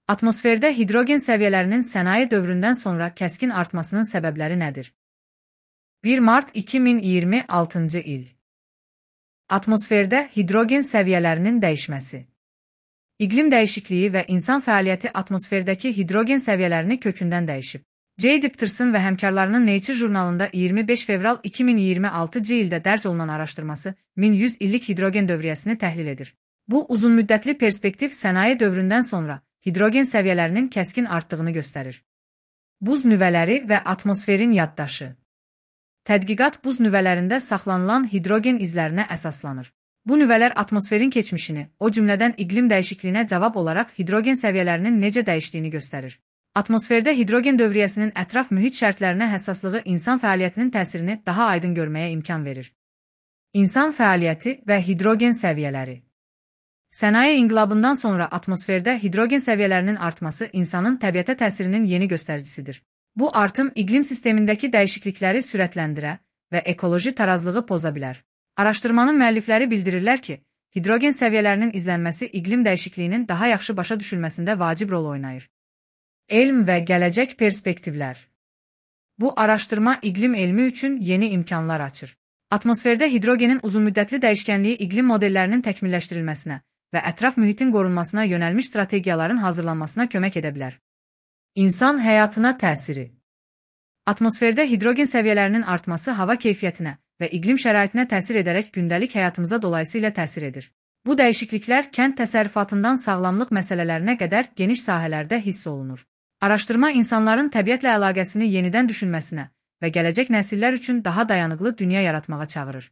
Atmosferdə hidrogen səviyyələrinin sənaye dövründən sonra kəskin artmasının səbəbləri nədir? 1 mart 2026-cı il. Atmosferdə hidrogen səviyyələrinin dəyişməsi. İqlim dəyişikliyi və insan fəaliyyəti atmosferdəki hidrogen səviyyələrini kökündən dəyişib. J. Dipterson və həmkarlarının Nature jurnalında 25 fevral 2026-cı ildə dərc olunan araşdırması 1100 illik hidrogen dövriyyəsini təhlil edir. Bu, uzunmüddətli perspektiv sənaye dövründən sonra hidrogen səviyyələrinin kəskin artdığını göstərir. Buz nüvələri və atmosferin yaddaşı. Tədqiqat buz nüvələrində saxlanılan hidrogen izlərinə əsaslanır. Bu nüvələr atmosferin keçmişini, o cümlədən iqlim dəyişikliyinə cavab olaraq hidrogen səviyyələrinin necə dəyişdiyini göstərir. Atmosferdə hidrogen dövriyyəsinin ətraf mühit şərtlərinə həssaslığı insan fəaliyyətinin təsirini daha aydın görməyə imkan verir. İnsan fəaliyyəti və hidrogen səviyyələri. Sənaye inqilabından sonra atmosferdə hidrogen səviyyələrinin artması insanın təbiətə təsirinin yeni göstəricisidir. Bu artım iqlim sistemindəki dəyişiklikləri sürətləndirə və ekoloji tarazlığı poza bilər. Araşdırmanın müəllifləri bildirirlər ki, hidrogen səviyyələrinin izlənməsi iqlim dəyişikliyinin daha yaxşı başa düşülməsində vacib rol oynayır. Elm və gələcək perspektivlər. Bu araşdırma iqlim elmi üçün yeni imkanlar açır. Atmosferdə hidrogenin uzunmüddətli dəyişkənliyi iqlim modellərinin təkmilləşdirilməsinə və ətraf mühitin qorunmasına yönəlmiş strategiyaların hazırlanmasına kömək edə bilər. İnsan həyatına təsiri. Atmosferdə hidrogen səviyyələrinin artması hava keyfiyyətinə və iqlim şəraitinə təsir edərək gündəlik həyatımıza dolayısıyla təsir edir. Bu dəyişikliklər kənd təsərrüfatından sağlamlıq məsələlərinə qədər geniş sahələrdə hiss olunur. Araşdırma insanların təbiətlə əlaqəsini yenidən düşünməsinə və gələcək nəsillər üçün daha dayanıqlı dünya yaratmağa çağırır.